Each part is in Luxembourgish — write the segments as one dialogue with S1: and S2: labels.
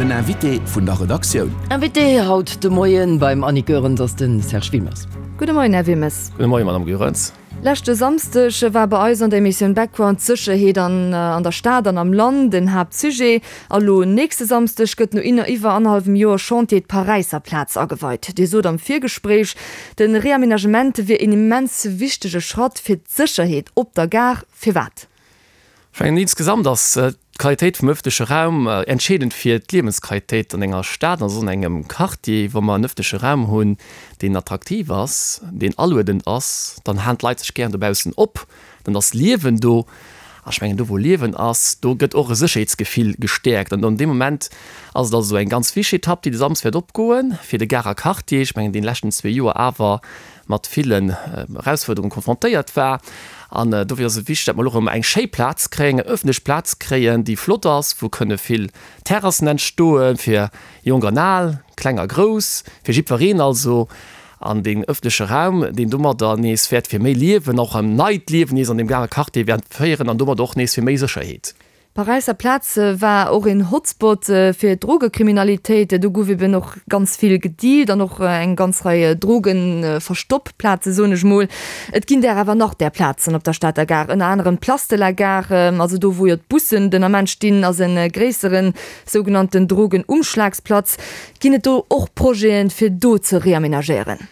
S1: Den Invité vun der Redaktioun.
S2: Invité haut de Moien beim Annick Goerens ass de Serge Wilmes.
S3: Gudde Moien, Här Wilmes.
S4: Gudde Moien, Madame Goerens.
S3: Leschte Samsdeg war bei eis an der Emissioun Background d'Sécherheet an an der Stad an am Land en Haaptsujet. A lo nächste Samsdeg gëtt no iwwer annerhallwem Joer Chantier d'Paräisser Plaz ageweit. Dir sot am Virgespréich, de Reaménagement wier een immens wichtege Schratt fir d'Sécherheet op der Gare. Firwat?
S4: Ech mengen, insgesamt ass d'Qualitéit vum ëffentleche Raum entscheedend fir d'Liewensqualitéit an enger Stad, also an engem Quartier. Wa mer en ëffentleche Raum hunn, deen attraktiv ass, deen aluedend ass, dann halen d'Leit sech gären dobaussen op, dann ass Liewen do. A ech mengen, do wou Liewen ass, do gëtt och e Sécherheetsgefill gestäerkt. An an deem Moment ass et also eng ganz wichteg Etapp, déi de Samsd wäert opgoen fir de Garer Quartier. Ech mengen, dee leschten zwee Joer awer mat villen Erausfuerderungen konfrontéiert war. An dofir ass et wichteg, datt mer elo erëm eng schéi Plaz kréien, eng ëffentlech Plaz kréien, déi flott ass, wou kënne vill Terrassen entstoe fir Jonk an Al, Kleng a Grouss, fir jiddwereen also. An deen ëffentleche Raum, deen domadder nees wäert fir méi Liewen, och en neit Liewen nees an deem Garer Quartier wäert féieren an domadder och nees fir méi Sécherheet.
S3: D'Paräisser Plaz war och een Hotspot fir d'Drogekriminalitéit. Do gouf eben och ganz vill gedealt an och eng ganz Rei Drogenverstoppplaze soen ech mol. Et ginn där awer nach där Plazen op der Stater Gare, ënner anerem d'Place de la Gare, also do wou jo d'Bussen den Ament stinn, ass e gréisseren sougenannten Drogenumschlagsplatz. Ginn et do och Projeten fir do ze reamenagéieren?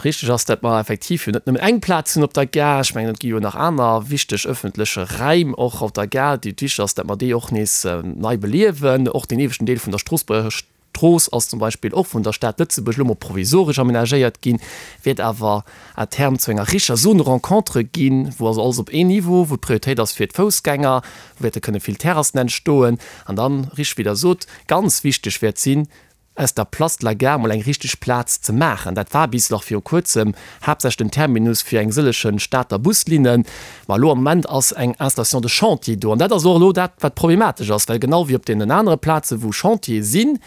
S4: Richteg ass, dat mer effektiv jo net nëmmen eng Plaz hunn op der Gare. Ech mengen, et gi jo nach aner wichteg öffentleche Räim och op der Gare, déi et wichteg ass, dat mer déi och nees nei beliewen. Och deen ieweschten Deel vun der Stroossbuerger Strooss ass zum Beispill och vun der Stad Lëtzebuerg elo mol provisoresch amenagéiert ginn, wäert awer à terme zu enger richer Zone rencontre ginn, wou also alles op een Niveau, wou d'Prioritéit ass fir d'Foussgänger, wou wäerte kënne vill Terrassen entstoen. An dann, richteg wéi Der sot, ganz wichteg wäert sinn, aus der Place de la Gare mol eng richteg Plaz ze maachen. Dat war bis nach viru kuerzem haaptsächlech den Terminus fir eng sëllechen Stater Buslinnen. Ma elo am Moment ass eng Installation de chantier do. An dat ass och elo dat, wat problematesch ass, well genau wéi op deenen anere Plazen, wou Chantiere sinn,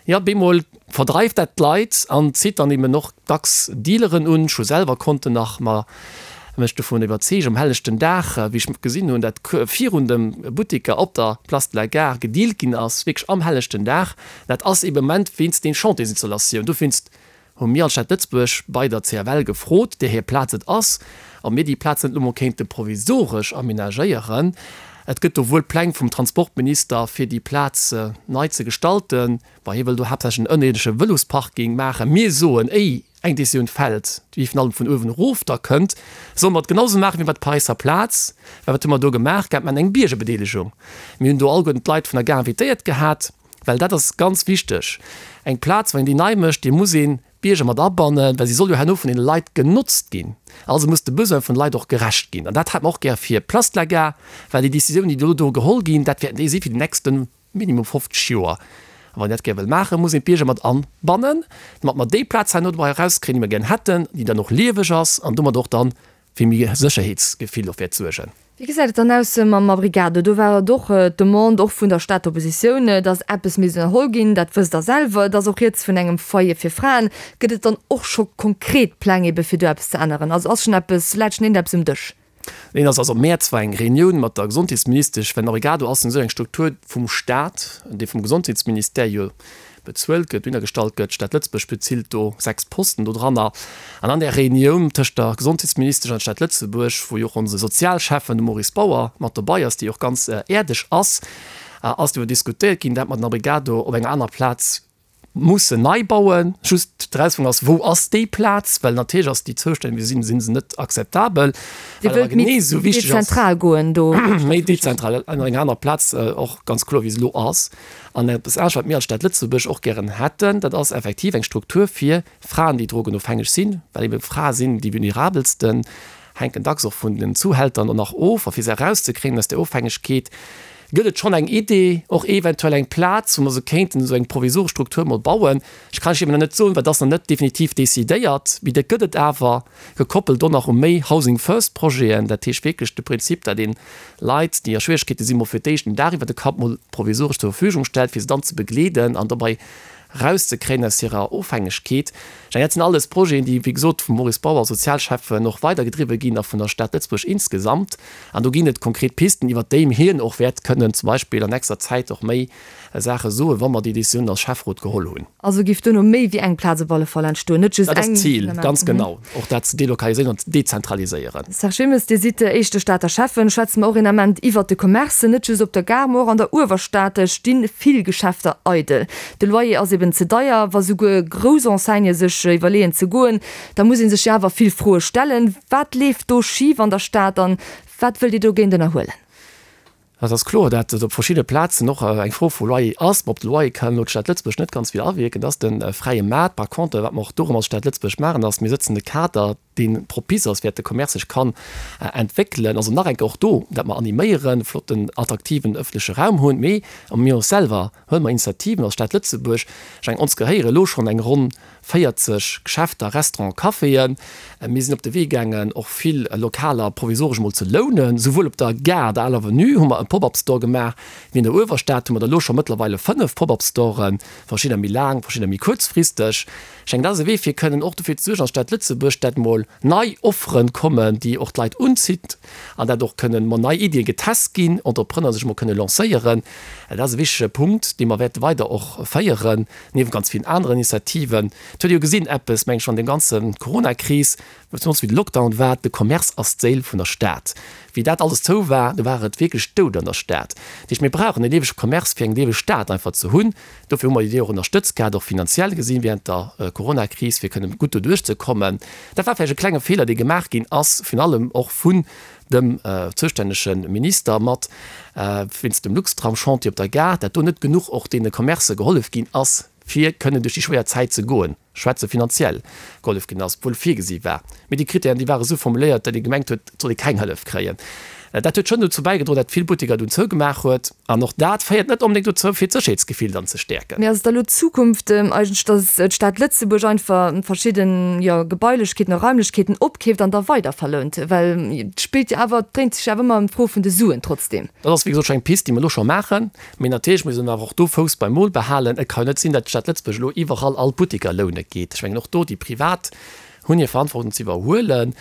S4: jo, bemol verdreift dat d'Leit an zitt dann eben och dacks Dealeren un. Ech hu selwer konnten nach mer mech dovun iwwerzeegen um helleschten Dag, wéi ech gesinn hunn, dat virun de Butteker op der Place de la Gare gedealt ginn ass, wierklech am helleschten Dag. Dat ass eben am Moment wéinst den Chantiersinstallatioun. Dowéinst hu mir als Stad Lëtzebuerg bei der CFL gefrot, där hir Plaz et ass, ob mir déi Plaz net elo mol kéinte provisoresch amenagéieren. Et gëtt do wuel Pläng vum Transportminister, fir déi Plaz nei ze gestalten. Bon, hie wëll do haaptsächlech en ënnerierdesche Vëlosparking maachen. Mir soen, éi eng Décisioun fält, déi virun allem vun uewen erof da kënnt, solle mer et genau esou maachen wéi bei der Paräisser Plaz. Well wat hu mer do gemaach gehat? Mer haten eng Biergerbedeelegung. Mir hunn do alleguerten d'Leit vun der Gare invitéiert gehat, well dat ass ganz wichteg. Eng Plaz, wann een déi nei mécht, déi muss een d'Bierger mat abannen, well si soll jo herno vun deene Leit genotzt ginn. Also muss de Besoin vun de Leit och gerecht ginn. An dat hätt mer och gär fir d'Place de la Gare, well déi Décisioun, déi elo do geholl ginn, dat wäerten déi si fir déi nächsten Minimum 50 Joer. A wann een dat gär wëll maachen, muss een d'Bierger mat anbannen, domat mer déi Plaz herno dobei erauskréien, déi mer gären hätten, déi dann och lieweg ass an domat och dann fir méi Sécherheetsgefill och wäert suergen.
S3: Wéi gesäit et dann aus mam Abrigado? Do war et och d'Demande, och vun der Stater Oppositioun, datt eppes misst ënnerholl ginn. Dat wësst Der selwer. Et ass och rieds vun engem Foyer fir Fraen. Gëtt et dann och scho konkret Pläng ebe fir do eppes ze änneren? Also ass schonn eppes, läit schonn iergendeppes um Dësch?
S4: Neen, also am Mäerz war eng Reunioun mat der Gesondheetsministesch, well den Abrigado ass esou eng Struktur vum Staat, déi vum Gesondheetsministère jo bezuelt gëtt, dohinnergestallt gëtt. D'Stad Lëtzebuerg bezilt do 6 Posten dodranner. An an där Reunioun tëscht der Gesondheetsministesch an der Stad Lëtzebuerg, wou jo och onse Sozialschäffen, de Maurice Bauer, mat dobei ass, dee jo och ganz äerdeg ass, ass driwwer diskutéiert ginn, dat mer den Abrigado op enger anerer Plaz mussen nei bauen. Just d'Erausfuerderung ass, Wou ass déi Plaz? Well natierlech ass déi Zoustänn, wéi se sinn, si se net akzeptabel.
S3: Dir
S4: Wat awer
S3: wëllt méi
S4: genee esou wichteg ass,
S3: dezentral goen do?
S4: Méi dezentral, an enger anerer Plaz, och ganz kloer, wéi se elo ass. An eppes anescht, wat mir als Stad Lëtzebuerg och gären hätten, dat ass effektiv eng Struktur fir Fraen, déi drogenofhängeg sinn, well ebe Frae sinn déi vulnerabelsten, hänken dacks och vun den Zuhältern och nach of. A fir se erauszekréien aus där Ofhängegkeet, gëtt et schonn eng Idee, och eventuell eng Plaz, wou mer se kéinten esou eng provisoresch Struktur mol bauen. Ech kann lech eben nach net soen, well et ass nach net definitiv decidéiert, mee dat gëtt et awer, gekoppelt och nach u méi Housing First Projeten. Dat heescht wierklech de Prinzip, datt ee Leit, déi a Schwieregkeete sinn, mol fir d'éischt en Daach iwwer de Kapp mol provisoresch zur Verfügung stellt, fir se dann ze begleeden an dobei erauszekréien aus hirer Ofhängegkeet. Ech mengen, dat sinn alles Projeten, déi, wéi gesot, vum Maurice Bauer als Sozialschäffen och weidergedriwwe ginn a vun der Stad Lëtzebuerg insgesamt. An do ginn et konkret Pisten, iwwert déi hien och wäert kënnen zum Beispill an nächster Zäit och méi. Saache soen, wa mer déi Décisioun als Schäfferot geholl hunn.
S3: Also giff duerno méi wéi eng Plaz op alle Fall entstoen, net just
S4: eng. Dat ass d'Zil, ganz genau, och dat ze delokaliséieren an ze dezentraliséieren.
S3: Serge Wilmes, Dir sidd éischte Stater Schäffen. Schwätze mer och een Ament iwwert de Commerce. Net just op der Gare, ma och an der Uewerstad sti vill Geschäfter eidel. De Loyer ass eben ze deier. Wa souguer grouss Enseignë sech iwwerleeën ze goen, da muss ee sech jo awer vill Froe stellen. Wat leeft do schif an der Stad an wat wëllt Dir dogéint ënnerhuelen?
S4: Et ass kloer, dat et op verschidde Plazen och eng Fro vu Loyer ass. Mä op de Loyer kann elo d'Stad Lëtzebuerg net ganz vill awierken. Dat ass de fräie Maart. Par contre, wat mer och dorëm als Stad Lëtzebuerg maachen, ass, mir sëtzen de Kader, dee propice ass, fir dat de Commerce sech kann entwéckelen. Also nach eng Kéier och do, dat mer animéieren, flotten, attraktiven ëffentleche Raum hunn. Mee mir och selwer huele mer Initiativen als Stad Lëtzebuerg. Ech mengen, ons gehéiere elo schonn eng ronn 40 Geschäfter, Restauranten, Caféen. Mir sinn op de Wee gaangen, och vill Lokaler provisoresch emol ze lounen. Souwuel op der Gare, der Aler Avenue hu mer e Pop-up-Store gemaach, wéi an der Uewerstad hu mer der elo scho mëttlerweile 5 Pop-up-Storen, verschiddener méi laang, verschiddener méi kuerzfristeg. Ech mengen, dat ass e Wee, fir kënnen och dofir ze suergen als Stad Lëtzebuerg, dat mol nei Offere kommen, déi och d'Leit unzitt an dat och kënnen mol nei Iddie getest ginn, Entrepreneur sech mol kënne lancéieren. Dat ass e wichtege Punkt, dee mer wäerte weider och féieren. Niewent ganz villen aneren Initiativen. Et huet ee jo gesinn, eppes, meng ech, an deem ganze Coronakris, zemools wéi de Lockdown war, de Commerce ass d'Séil vun der Stad. Wéi dat alles zou war, do war et wierklech dout an der Stad. Dat heescht, mir brauchen e liewege Commerce, fir eng lieweg Stad einfach ze hunn. Dofir hu mer déi och ënnerstëtzt gehat, och finanziell gesinn, während der Coronakris, fir kënnen gutt doduerch ze kommen. Dat war vläicht e klenge Feeler, dee gemaach ginn ass, virun allem och vun dem zoustännege Minister mat, wéinst dem Luxtram-Chantier op der Gare, dat do net genuch och deene Commercë gehollef ginn ass, fir kënnen duerch déi schwéier Zäit ze goen, ech schwätze finanziell gehollef ginn ass, obwuel virgesi war. Mee déi Kritären, déi ware sou formuléiert, datt ee gemengt huet, et soll ee keng Hëllef kréien. Dat huet schonn dozou bäigedroen, datt vill Butteker dunn zougemaach huet. An och dat féiert net onbedéngt dozou, fir d'Sécherheetsgefill dann ze stäerken.
S3: Mee ass et da lo d'Zukunft eigentlech, datt d'Stad Lëtzebuerg einfach verschidden, jo, Gebailechkeeten a Raimlechkeeten opkeeft an da weiderverlount? Well et spillt jo awer, et dréint sech jo awer ëmmer ëm d'Fro vun de Suen trotzdem.
S4: Dat ass wéi gesot scho eng Pist, déi mer elo scho maachen. Mee natierlech muss een awer och do Fouss beim Mol behalen. Et ka jo net sinn, datt d'Stad Lëtzebuerg elo iwwerall all d'Butteker loune geet. Ech mengen och do, déi privat hunn hir Verantwortung ze iwwerhuelen.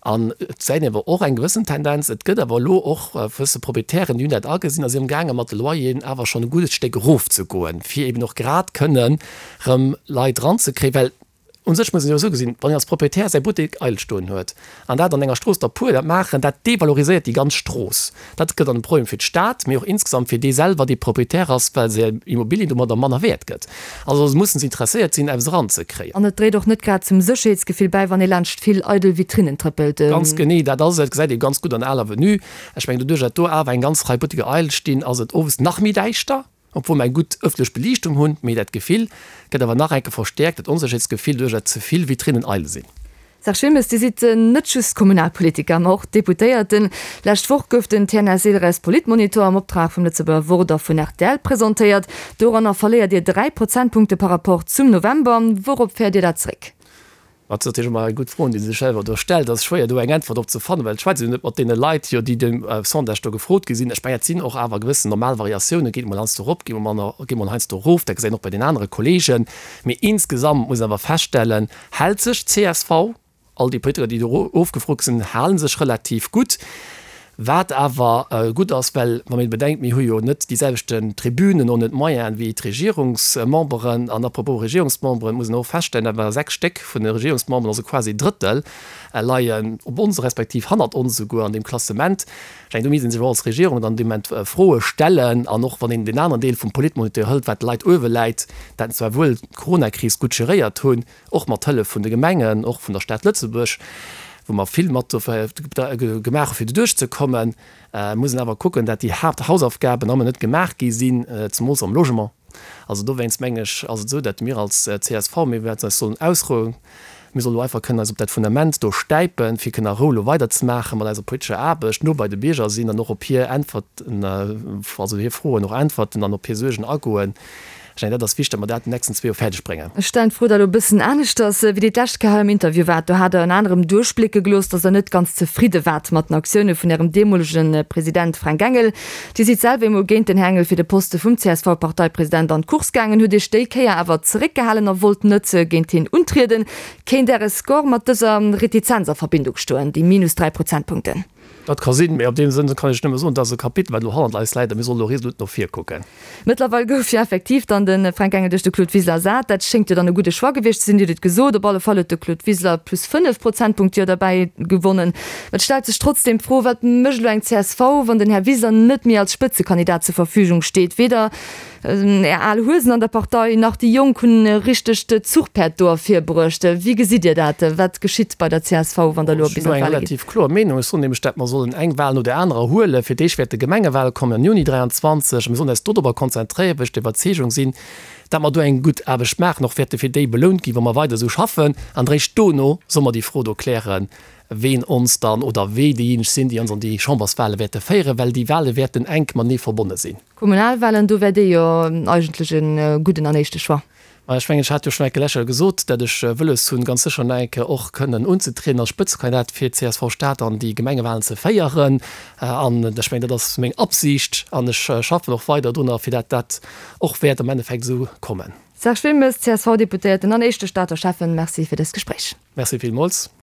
S4: An et gesäit een awer och eng gewëssen Tendenz, et gëtt awer elo och gewësse Proprietären, déi hunn dat agesinn a sinn amgaange mat de Loyeren awer schonn e guddes Stéck erofzegoen, fir eben och grad kënnen erëm Leit eranzekréien. Well u sech muss een jo esou gesinn, wann een als Proprietär säi Buttek eidel stoen huet an dat an enger Strooss der puer dat maachen, dat devaloriséiert déi ganz Strooss. Dat gëtt dann e Problem fir d'Stad, mee och insgesamt fir dee selwer, dee Proprietär ass, well säi Immobilien domadder manner wäert gëtt. Also mussen se interesséiert sinn, eppes eranzekréien.
S3: An et dréit och net grad zum Sécherheetsgefill bäi, wann ee laanscht vill eidel Vitrinnen trëppelt.
S4: Ganz genee, dat ass et. Dat gesäit ee ganz gutt an der Aler Avenue. Ech mengen, doduerch dat do awer eng ganz Rei Butteker eidel stinn, ass et owes nach méi däischter, obwuel mer eng gutt ëffentlech Beliichtung hunn. Mee dat Gefill gëtt awer nach enke verstäerkt, dat Onsécherheetsgefill, doduerch dat ze vill Vitrinnen eidel sinn.
S3: Serge Wilmes, Dir sidd net just Kommunalpolitiker, ma och Deputéierten. Lescht Woch gouf den TNS-Ilres Politmonitor am Optrag vum Lëtzebuerger Wort a vun rtl presentéiert. Doranner verléiert Dir 3 Prozentpunkte par rapport zum November. Wourop féiert Dir dat zréck?
S4: Dat ass natierlech ëmmer eng gutt Fro, déi sech selwer do stellt. Et ass schwéier do eng Äntwert drop ze fannen, well et schwätzt een jo net mat deene Leit, jo, déi de Sondage do gefrot gi sinn. Ech mengen, et sinn och awer gewëssen normal Variatiounen, geet emol heiansdo erop, geet emol heiansdo erof. Dat gesäit een och bei den anere Kolleegen. Mee insgesamt muss een awer feststellen, Hält sech csv, all déi Politiker, déi do ofgefrot sinn, hale sech relativ gutt, wat awer gutt ass, well wann een bedenkt, mir hu jo net déi selwechten Tribünen, och net d'Moyenen wéi d'Regierungsmemberen. An à propos Regierungsmemberen, muss een och feststellen, dat ware 6 Stéck vun de Regierungsmemberen, also quasi e Drëttel, leien op ons, respektiv hannert ons esouguer an deem Klassement. Ech mengen, do misst ee sech och als Regierung dann dee Moment Froe stellen. An och wann een deen aneren Deel vum Politmoniteur hëlt, wat de Leit uewe läit, dat zwar wuel d'Coronakris gutt geréiert hunn, och mat Hëllef vun de Gemengen, och vun der Stad Lëtzebuerg, wou mer vill mat gemaach hu fir doduerch ze kommen, muss een awer kucken, dat déi Haapthausaufgaben ëmmer net gemaach gi sinn, zemools am Logement. Also dowéinst meng ech, ass et esou, dat mir als csv, mir wäerten eis sollen ausrouen, mir solle lo einfach kënnen eis op dat Fundament do stäipen, fir kënnen a Rou lo weiderzemaache mat eiser politescher Aarbecht, no bei de Bierger sinn an och op hir Äntwerten, also hir Froen och äntwerten an op hir Suergen agoen. Ech mengen, dat ass wichteg, datt mer dat an den nächsten zwee Joer fäerdeg bréngen.
S3: Ech stellen d'Fro da lo e bëssen aneschters. Wéi Dir d'lescht Kéier hei am Interview waart, do hat Der ënner anerem duerchblécke gelooss, datt Der net ganz zefridde waart mat den Aktioune vun Ärem deemolege President Fränk Engel. Dir sidd selwer eemol géint den Här Engel fir de Poste vum CSV-Parteipresident an d'Course gaangen, hutt Iech déi Kéier awer zeréckgehalen a wollt net géint hien untrieden. Kéint Äre Score mat dëser Retizenz a Verbindung stoen, déi minus 3 Prozentpunkten?
S4: Dat ka sinn, mee op deem Sënn kann ech nëmme soen, dat ass e Kapitel, wat elo hannert eis läit a mir solle elo resolut no vir kucken.
S3: Mëttlerweil gouf jo effektiv dann de Fränk Engel duerch de Claude Wiseler ersat. Dat schéngt jo dann e gudde Choix gewiescht ze sinn. Dir hutt et gesot, op alle Fall huet de Claude Wiseler plus 5 Prozentpunkte jo derbäi gewonnen. Et stellt sech trotzdeem d'Fro, Wat mécht elo eng csv, wann den Här Wiseler net méi als Spëtzekandidat zur Verfügung steet? Weder Är al Huesen an der Partei, nach déi Jonk hunn e richtegt Zuchpäerd do ervirbruecht. Wéi gesitt Dir dat? Wat geschitt bei der csv, wann der elo
S4: bis an d'Wale gitt? Ech hunn do eng relativ kloer Meenung. Ech soen nämlech, dat mer sollen eng Wal no där anerer huelen. Fir d'éischt wäerte Gemengewale kommen am Juni 23 a mir sollen eis dodrobber konzentréieren, well ech der Iwwerzeegung sinn, dat mer do eng gutt Aarbecht maachen, och wäerte fir déi belount ginn, wa mer weider esou schaffen. An eréischt dono solle mer déi Fro do klären, ween ons dann oder wee déijéineg sinn, déi ons an déi Chamberswale wäerte féieren, well déi Wale wäerten enk matenee verbonne sinn.
S3: Kommunalwalen, do wär Dir jo eigentlech e gudden an éischte Choix.
S4: Ma ech mengen, ech hat jo schonn eng Kéier lech gesot, dat ech wëlles hunn, ganz sécher nach eng Kéier och kënnen unzetrieden als Spëtzekandidat fir csv Stad an déi Gemengewalen ze féieren. An ech mengen, dat ass meng Absicht an ech schaffen och weider drunner, fir dat dat och wäert am Endeffekt esou kommen.
S3: Serge Wilmes, CSV-Deputéierten an éischte Stater Schäffen, Merci fir dëst Gespréich.
S4: Merci villmools.